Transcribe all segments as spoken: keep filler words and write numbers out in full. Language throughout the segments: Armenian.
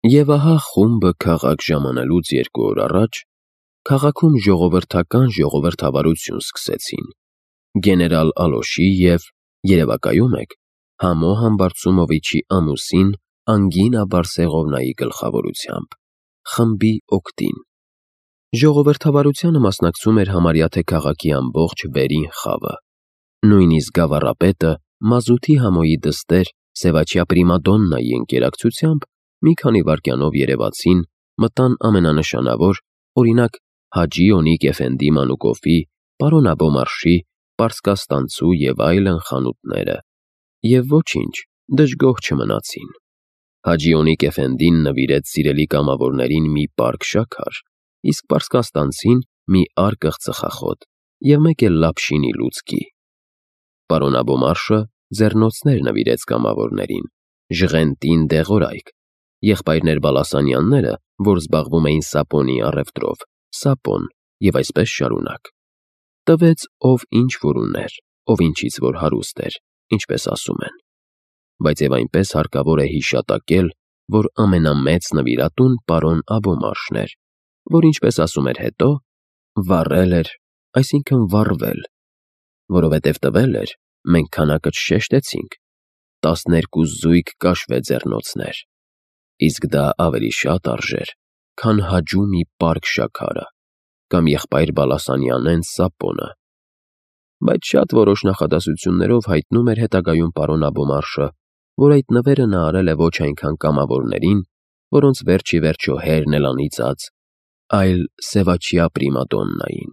Եվ ահա խումբը քաղաք ժամանելուց երկու օր առաջ քաղաքում ժողովրդական ժողովրդավարություն սկսեցին. գեներալ Ալոշի և, երևակայում եք, Համո Համբարձումովիչի ամուսին Անգինա Բարսեղովնայի գլխավորությամբ, խմբի օգտին։ Ժողովրդավարությանը մասնակցում էր համարյա թե քաղաքի ամբողջ վերին խավը։ Նույնիսկ գավառապետը Մազութի Համոյի դստեր Սևաչյա Պրիմադոննայի ընկերակցությամբ մի քանի վայրկյանով երևացին, մտան ամենանշանավոր, օրինակ, Հաջի Օնիկ Էֆենդի Մանուկովի, պարոն Աբոմարշի, Պարսկաստանցու և այլն խանութները, և ոչինչ, դժգոհ չմնացին։ Հաջի Օնիկ Էֆենդին նվիրեց սիրելի կամավորներին մի պարկ շաքար, իսկ պարսկաստանցին մի արկղ ծխախոտ և մեկ էլ լապշինի լուցկի։ Պարոն Աբոմարշը ձեռնոցներ նվիրեց կամավորներին, ժղենտին դեղորայք, եղբայրներ Բալասանյանները, որ զբաղվում էին սապոնի առևտրով, սապոն և այսպես շարունակ։ Տվեց ով ինչ որ ուներ, ով ինչից որ հարուստ էր, ինչպես ասում են։ Բայց և այնպես հարկավոր է հիշատակել, որ ամենամեծ նվիրատուն պարոն Աբոմարշն էր, որ ինչպես ասում էր հետո, վառել էր, այսինքն վառվել, որովհետև տվել էր, մենք քանակը չշեշտեցինք, տասներկու զույգ կաշվե ձեռնոցներ, իսկ դա ավելի շատ արժեր, քան Հաջու մի պարկ շաքարը, կամ եղբայր Բալասանյանեն սապոնը։ Բայց շատ որոշ նախադասություններով հայտնում էր հետագայում պարոն Աբոմարշը, որ այդ նվերը նա արել է ոչ այնքան կամավորներին, որոնց վերջ ի վերջո հերն էլ անիծած, այլ Սևաչյա Պրիմադոննային։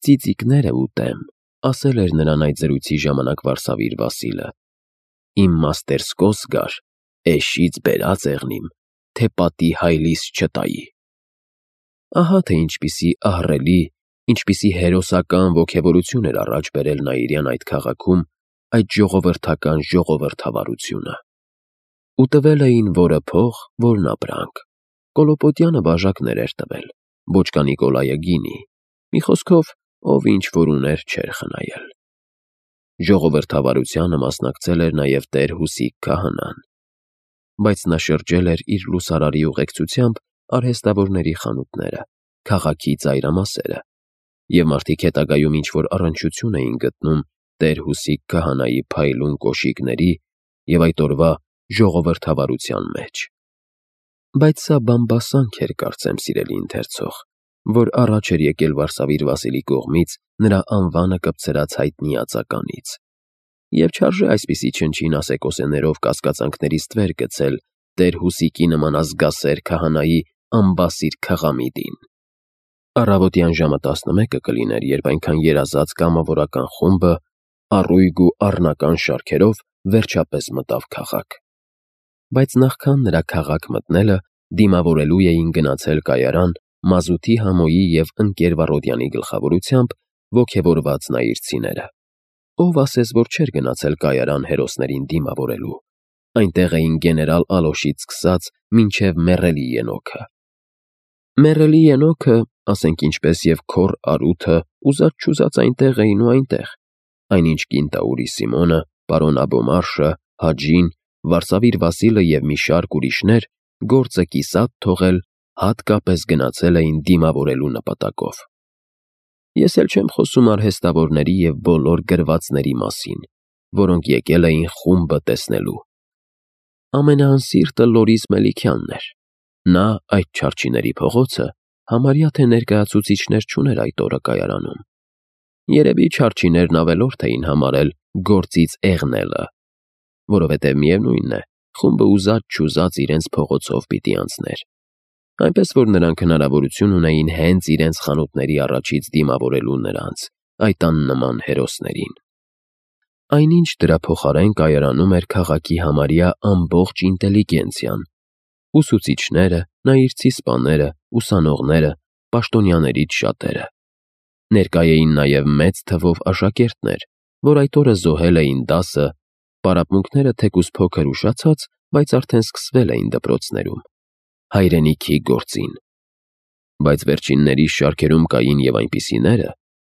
«Ծիծիկները ուտեմ», ասել էր նրան այդ զրույցի ժամանակ Վարսավիր Վասիլը, «իմ մաստերսկոս գար, էշից բերած եղնիմ, թե պատի հայլիս չտայի»։ Ահա թե ինչպիսի ահռելի, ինչպիսի հերոսական ոգևորություն էր առաջ բերել Նաիրյան այդ քաղաքում այդ ժողովրդական ժողովրդավարությունը։ Ու տվել էին որը փող, որն ապրանք։ Կոլոպոտյանը բաժակներ էր տվել, Բոճկա Նիկոլայը գինի, մի խոսքով, ով ինչ որ ուներ չէր խնայել։ Ժողովրդավարությանը մասնակցել էր նաև տեր Հուսիկ քահանան, բայց նա շրջել էր իր լուսարարի ուղեկցությամբ արհեստավորների խանութները, քաղաքի ծայրամասերը, և մարդիկ հետագայում ինչ-որ առնչություն էին գտնում տեր Հուսիկ քահանայի փայլուն կոշիկների և այդ օրվա ժողովրդավարության մեջ։ Բայց սա բամբասանք էր, կարծեմ, սիրելի ընթերցող, որ առաջ էր եկել Վարսավիր Վասիլի կողմից նրա անվանը կպցրած հայտնի ածականից, և չարժե այսպիսի չնչին ասեկոսեներով կասկածանքներից վեր գցել տեր Հուսիկի նման ազգասեր քահանայի անբասիր քղամիտին։ Առավոտյան ժամը տասնմեկը կլիներ, երբ այնքան երազած կամավորական խումբը առույգ ու առնական շարքերով վերջապես մտավ քաղաք։ Բայց նախքան նրա քաղաք մտնելը դիմավորելու էին գնացել կայարան Մազութի Համոյի և ընկեր Վառոդյանի գլխավորությամբ ոգևորված նայիրցիները։ Ով ասես, որ չէր գնացել կայարան հերոսներին դիմավորելու, այնտեղ էին գեներալ Ալոշից սկսած մինչև Մեռելի Ենոքը։ Մեռելի Ենոքը, ասենք ինչպես և քոռ Արութը, ուզած-չուզած այնտեղ էին ու այնտեղ, այնինչ կինտաուրի Սիմոնը, պարոն Աբոմարշը, Հաջին, Վարսավիր Վասիլը և մի շարք ուրիշներ գործը կիսատ թողել, հատկապես գնացել էին դիմավորելու նպատակով։ Ես էլ չեմ խոսում արհեստավորների և բոլոր գրվածների մասին, որոնք եկել էին խումբը տեսնելու։ Ամենաանսիրտը Լորիս Մելիքյանն էր։ Նա, այդ չարչիների փողոցը, համարյա թե ներկայացուցիչներ չուներ այդ օրը կայարանում։ Երևի չարչիներն ավելորդ էին համարել գործից էղնելը, որովհետև միևնույն է, խումբը ուզած-չուզած իրենց փողոցով պիտի անցներ, այնպես որ նրանք հնարավորություն ունեին հենց իրենց խանութների առաջից դիմավորելու նրանց, այդ աննման հերոսներին։ Այնինչ դրա փոխարեն կայարանում էր քաղաքի համարյա ամբողջ ինտելիգենցիան, ուսուցիչները, նայիրցի սպաները, ուսանողները, պաշտոնյաներից շատերը։ Ներկա էին նաև մեծ թվով աշակերտներ, որ այդ օրը զոհել էին դասը, պարապմունքները թեկուզ փոքր ուշացած, բայց արդեն սկսվել էին դպրոցներում, հայրենիքի գործին։ Բայց վերջինների շարքերում կային և այնպիսիները,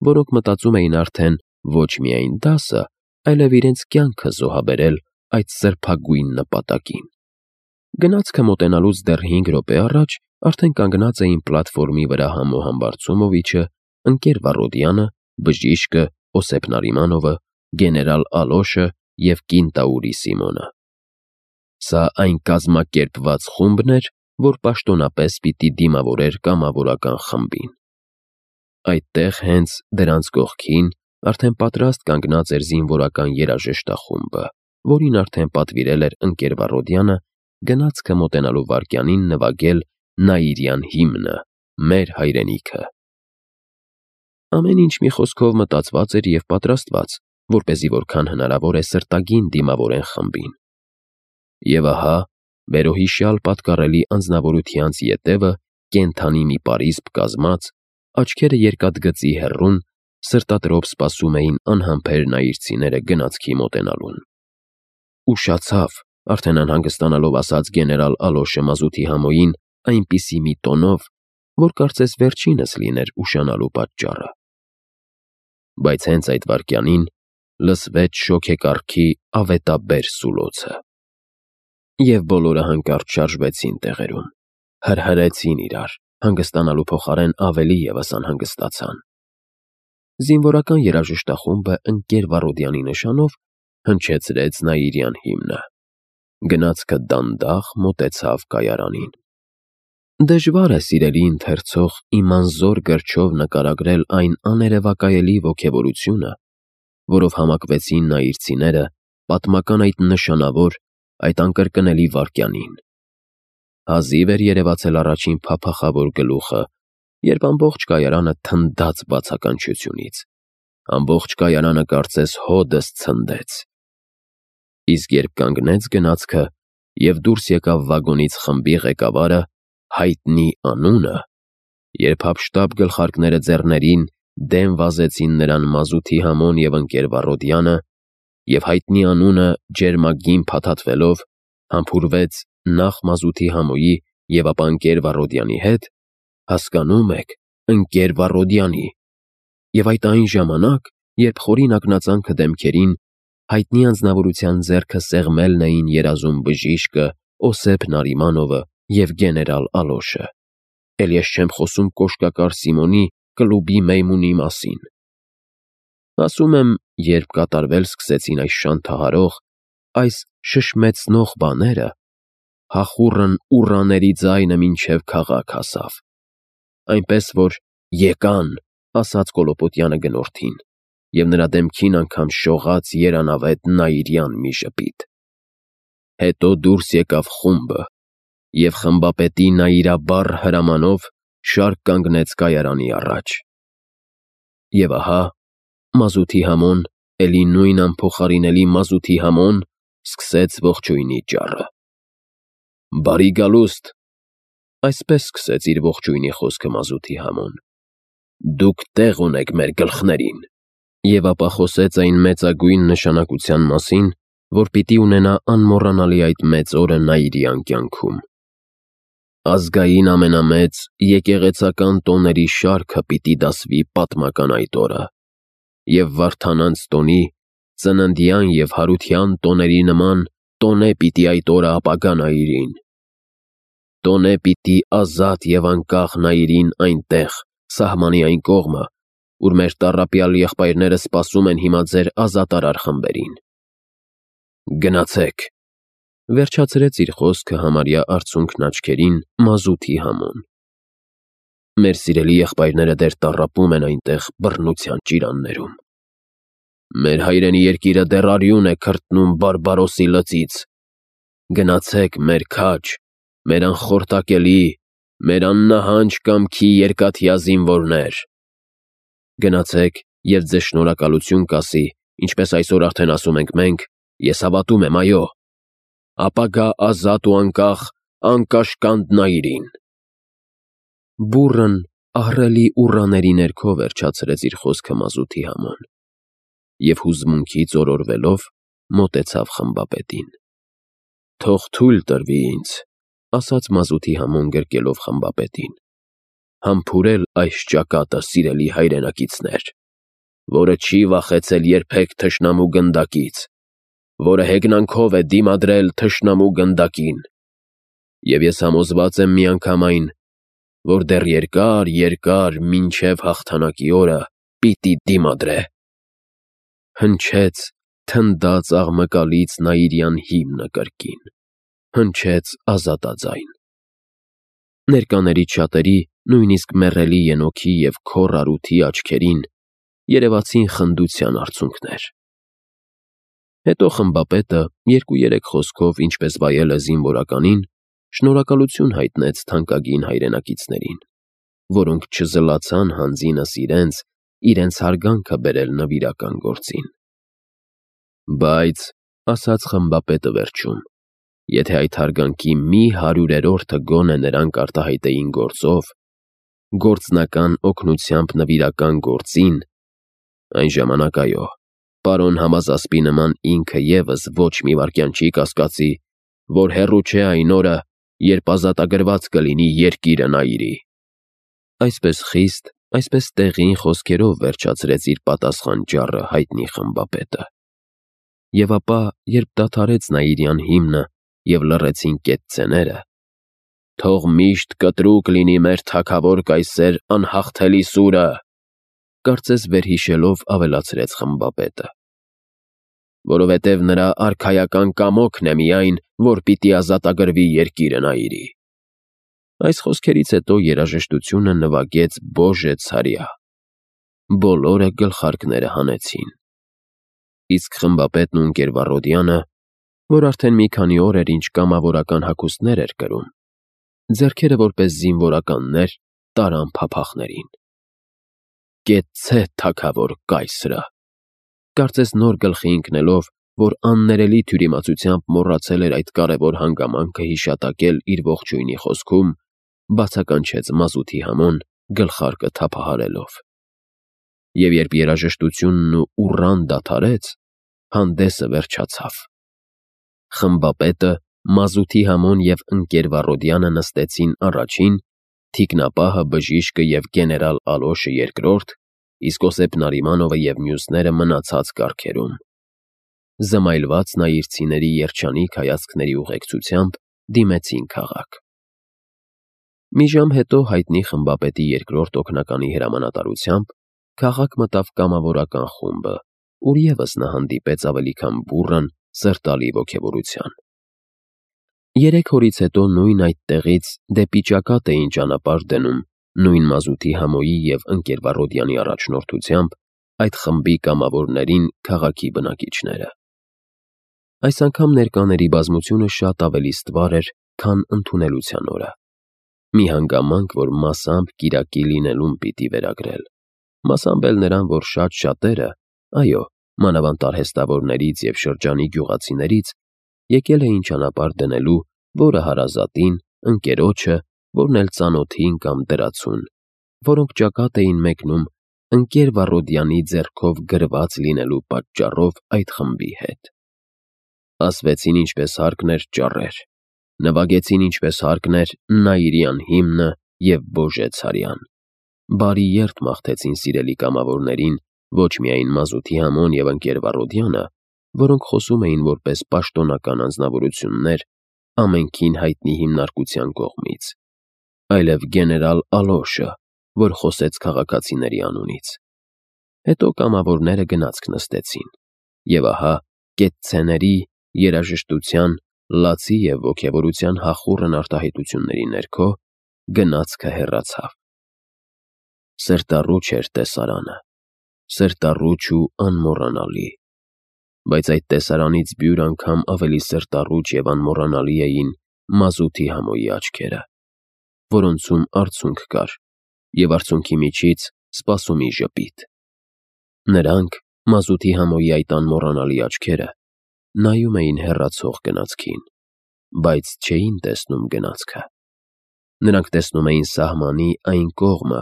որոնք մտածում էին արդեն ոչ միայն դասը, այլև իրենց կյանքը զոհաբերել այդ սրբագույն նպատակին։ Գնացքը մոտենալուց դեռ հինգ րոպե առաջ արդեն կանգնած էին պլատֆորմի վրա Համո Համբարձումովիչը, ընկեր Վառոդյանը, բժիշկը, Օսեփ Նարիմանովը, գեներալ Ալոշը և կինտաուրի Սիմոնը։ Սա այն կազմակերպված խումբն էր, որ պաշտոնապես պիտի դիմավորեր կամավորական խմբին։ Այդտեղ հենց դրանց կողքին արդեն պատրաստ կանգնած էր զինվորական երաժշտախումբը, որին արդեն պատվիրել էր ընկեր Վառոդյանը գնացքը մոտենալու վայրկյանին նվագել Նաիրյան հիմնը, մեր հայրենիքը։ Ամեն ինչ մի խոսքով մտածված էր և պատրաստված, որպեսզի որքան հնարավոր է սրտագին դիմավորեն խմբին։ Եվ ահա վերոհիշյալ պատկառելի անձնավորությանց ետևը կենդանի մի պարիսպ կազմած, աչքերը երկաթգծի հեռուն, սրտատրոփ սպասում էին անհամբեր նայիրցիները գնացքի մոտենալուն։ Ուշացավ, արդեն անհանգստանալով ասաց գեներալ Ալոշը մազութի Համոյին այնպիսի մի տոնով, որ կարծես վերջինս լիներ ուշանալու պատճառը։ Բայց հենց այդ վայրկյանին լսվեց շոգեկառքի ավետաբեր սուլոցը։ Եվ բոլորը հանկարծ շարժվեցին տեղերում, հրհրեցին իրար, հանգստանալու փոխարեն ավելի ևս անհանգստացան։ Զինվորական երաժշտախումբը ընկեր Վառոդյանի նշանով հնչեցրեց Նաիրյան հիմնը։ Գնացքը դանդաղ մոտեցավ կայարանին։ Դժվար է սիրելի ընթերցող իմ անզոր գրչով նկարագրել այն աներևակայելի ոգևորությունը, որով համակվեցին նայիրցիները պատմական այդ նշանավոր, այդ անկրկնելի վայրկյանին։ Հազիվ էր երևացել առաջին փափախավոր գլուխը, երբ ամբողջ կայարանը թնդաց բացականչությունից, ամբողջ կայարանը կարծես հոդս ցնդեց։ Իսկ երբ կանգնեց գնացքը և դուրս եկավ վագոնից խմբի ղեկավարը, հայտնի անունը, երբ հափշտապ գլխարկները ձեռներին դեմ վազեցին նրան մազութի Համոն և ընկեր Վառոդյանը, և հայտնի անունը ջերմագին փաթաթվելով համբուրվեց նախ մազութի Համոյի և ապա ընկեր Վառոդյանի հետ, հասկանում եք, ընկեր Վառոդյանի, և այդ այն ժամանակ, երբ խորին ակնածանքը դեմքերին հայտնի անձնավորության ձեռքը սեղմելն էին երազում բժիշկը, Օսեփ Նարիմանովը և գեներալ Ալոշը։ Էլ ես չեմ խոսում կոշկակար Սիմոնի կլուբի մեյմունի մասին։ Ասում եմ, երբ կատարվել սկսեցին այս շանթահարող, այս շշմեցնող բաները, հախուռն ուռաների ձայնը մինչև քաղաք հասավ, այնպես որ «եկան» ասաց Կոլոպոտյանը գնորդին, և նրա դեմքին անգամ շողաց երանավետ Նաիրյան մի ժպիտ։ Հետո դուրս եկավ խումբը, և խմբապետի նայիրաբառ հրամանով շարք կանգնեց կայարանի առաջ։ Եվ ահա մազութի Համոն, էլի նույն անփոխարինելի մազութի Համոն, սկսեց ողջույնի ճառը։ «Բարի գալուստ», այսպես սկսեց իր ողջույնի խոսքը մազութի Համոն, «դուք տեղ ունեք մեր գլխներին»։ Եվ ապա խոսեց այն մեծագույն նշանակության մասին, որ պիտի ունենա անմոռանալի այդ մեծ օրը Նաիրյան կյանքում։ Ազգային ամենամեծ եկեղեցական տոների շարքը պիտի դասվի պատմական այդ օրը, և Վարդանանց տոնի, ծննդյան և հարության տոների նման տոնե պիտի այդ օրը ապագա Նայիրին։ Տոնե պիտի ազատ և անկախ Նայիրին այնտեղ, սահմանի այն կողմը, ուր մեր տառապյալ եղբայրները սպասում են հիմա ձեր ազատարար խմբերին։ Գնացեք, վերջացրեց իր խոսքը համարյա արցունքն աչքերին մազութի Համոն։ Մեր սիրելի եղբայրները դեռ տառապում են այնտեղ բռնության ճիրաններում։ Մեր հայրենի երկիրը դեռ արյուն է քրտնում բարբարոսի լծից։ Գնացեք մեր քաջ, մեր անխորտակելի, մեր աննահանջ կամքի երկաթյա զինվորներ։ Գնացեք և ձեզ շնորհակալություն կասի, ինչպես այսօր արդեն ասում ենք մենք, ես հավատում եմ, այո, ապագա ազատ ու անկախ անկաշկանդ Նայիրին։ Բուռն, ահռելի ուռաների ներքո վերջացրեց իր խոսքը մազութի Համոն և հուզմունքից օրորվելով մոտեցավ խմբապետին։ Թող թույլ տրվի ինձ, ասաց մազութի Համոն գրկելով խմբապետին, համբուրել այս ճակատը, սիրելի հայրենակիցներ, որը չի վախեցել երբեք թշնամու գնդակից, որը հեգնանքով է դիմադրել թշնամու գնդակին, Եվ ես համոզված եմ միանգամայն, որ դեռ երկար, երկար մինչև հաղթանակի օրը պիտի դիմադրե։ Հնչեց, թնդաց աղմկալից Նաիրյան հիմնը կրկին, հնչեց ազատաձայն։ Ներկաներից շատերի, նույնիսկ մեռելի Ենոքի և քոռ Արութի աչքերին երևացին խնդության արցունքներ։ Հետո խմբապետը երկու-երեք խոսքով, ինչպես վայել է զինվորականին, շնորհակալություն հայտնեց թանկագին հայրենակիցներին, որոնք չզլացան հանձինս իրենց, իրենց հարգանքը բերել նվիրական գործին։ Բայց, ասաց խմբապետը վերջում, եթե այդ հարգանքի մի հարյուրերորդը գոնե նրանք արտահայտեին գործով, գործնական օգնությամբ նվիրական գործին, այն ժամանակ այո, պարոն Համազասպի նման ինքը ևս ոչ մի վայրկյան չի կասկածի, որ հեռու չէ այն օրը, երբ ազատագրված կլինի երկիրը Նաիրի։ Այսպես խիստ, այսպես տեղին խոսքերով վերջացրեց իր պատասխան ճառը հայտնի խմբապետը։ Եվ ապա, երբ դադարեց Նաիրյան հիմնը և լռեցին կետցեները, «Թող միշտ կտրուկ լինի մեր թագավոր կայսեր անհաղթելի սուրը», կարծես վերհիշելով ավելացրեց խմբապետը, «որովհետև նրա արքայական կամոքն է միայն, որ պիտի ազատագրվի երկիրը Նաիրի»։ Այս խոսքերից հետո երաժշտությունը նվագեց Բոժե ցարյա։ Բոլորը գլխարկները հանեցին։ Իսկ խմբապետն ու ընկեր Վառոդյանը, որ արդեն մի քանի օր էր ինչ կամավորական հագուստներ էր կրում, ձեռքերը որպես զինվորականներ տարան փափախներին։ «Կեցցե թագավոր կայսրը», կարծես նոր գլխի ընկնելով, որ աններելի թյուրիմացությամբ մոռացել էր այդ կարևոր հանգամանքը հիշատակել իր ողջույնի խոսքում, բացականչեց մազութի համոն գլխարկը թափահարելով։ Եվ երբ երաժշտությունն ու ուռան դադարեց, հանդեսը վերջացավ։ Խմբապետը, մազութի համոն և ընկեր Վառոդյանը նստեցին առաջին, թիկնապահը, բժիշկը և գեներալ Ալոշը երկրորդ, իսկ Օսեփ Նարիմանովը և մյուսները մնացած կառքերում։ Զմայլված նաիրցիների երջանիկ հայացքների ուղեկցությամբ դիմեցին քաղաք։ Մի ժամ հետո հայտնի խմբապետի երկրորդ օգնականի հրամանատարությամբ քաղաք մտավ կամավորական խումբը, ուր ևս նա հանդիպեց ավելի քան բուռն, սրտալի ոգևորության։ Երեք օրից հետո նույն այդ տեղից դեպի ճակատ էին ճանապարհ դնում նույն մազութի համոյի և ընկեր Վառոդյանի առաջնորդությամբ այդ խմբի կամավորներին քաղաքի բնակիչները։ Այս անգամ ներկաների բազմությունը շատ ավելի ստվար էր, քան ընդունելության օրը։ Մի հանգամանք, որ մասամբ կիրակի լինելուն պիտի վերագրել, մասամբ էլ նրան, որ շատ շատերը, այո, մանավանդ արհեստավորներից և շրջանի գյուղացիներից, եկել էին ճանապարհ դնելու որը հարազատին, ընկերոջը, որն էլ ծանոթին կամ դրացուն, որոնք ճակատ էին մեկնում ընկեր Վառոդյանի ձեռքով գրված լինելու պատճառով այդ խմբի հետ։ Ասվեցին ինչպես հարկն էր ճառեր, նվագեցին ինչպես հարկն էր Նաիրյան հիմնը և Բոժե ցարյան։ Բարի երթ մաղթեցին սիրելի կամավորներին ոչ միայն մազութի համոն և ընկեր Վառոդյանը, որոնք խոսում էին որպես պաշտոնական անձնավորություններ ամենքին հայտնի հիմնարկության կողմից, այլև գեներալ Ալոշը, որ խոսեց քաղաքացիների անունից։ Հետո կամավորները գնացք նստեցին, և ահա կետցեների, երաժշտության, լացի և ոգևորության հախուռն արտահայտությունների ներքո գնացքը հեռացավ։ Սրտառուչ էր տեսարանը, սրտառուչ ու անմոռանալի, բայց այդ տեսարանից բյուր անգամ ավելի սրտառուչ և անմոռանալի էին մազութի համոյի աչքերը, որոնցում արցունք կար և արցունքի միջից սպասումի ժպիտ։ Նրանք, մազութի համոյի այդ անմոռանալի աչքերը, նայում էին հեռացող գնացքին, բայց չէին տեսնում գնացքը։ Նրանք տեսնում էին սահմանի այն կողմը,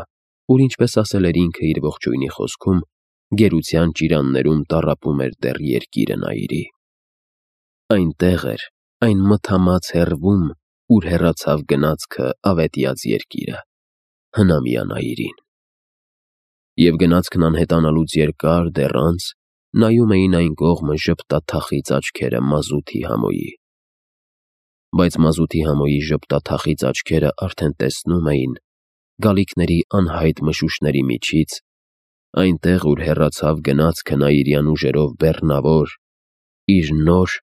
ուր, ինչպես ասել էր ինքը իր ողջույնի խոսքում, գերության ճիրաններում տառապում էր դեռ երկիրը Նաիրի։ Այնտեղ էր, այն մթամած հեռվում, ուր հեռացավ գնացքը ավետյաց երկիրը, հնամյա Նաիրին։ Եվ գնացքն անհետանալուց երկար դեռ անց նայում էին այն կողմը ժպտաթախիծ աչքերը մազութի համոյի։ բայց մազութի համոյի ժպտաթախիծ աչքերը արդեն տեսնում էին գալիքների անհայտ մշուշների միջից, այնտեղ, ուր հեռացավ գնացքը նա իրյան ուժերով բեռնավոր, իր նոր,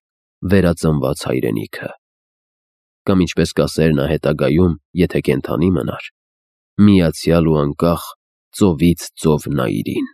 վերածնված հայրենիքը։ Կամ ինչպես կասեր նա հետագայում, եթե կենդանի մնար, միացյալ ու անկախ ծովից ծով Նայիրին։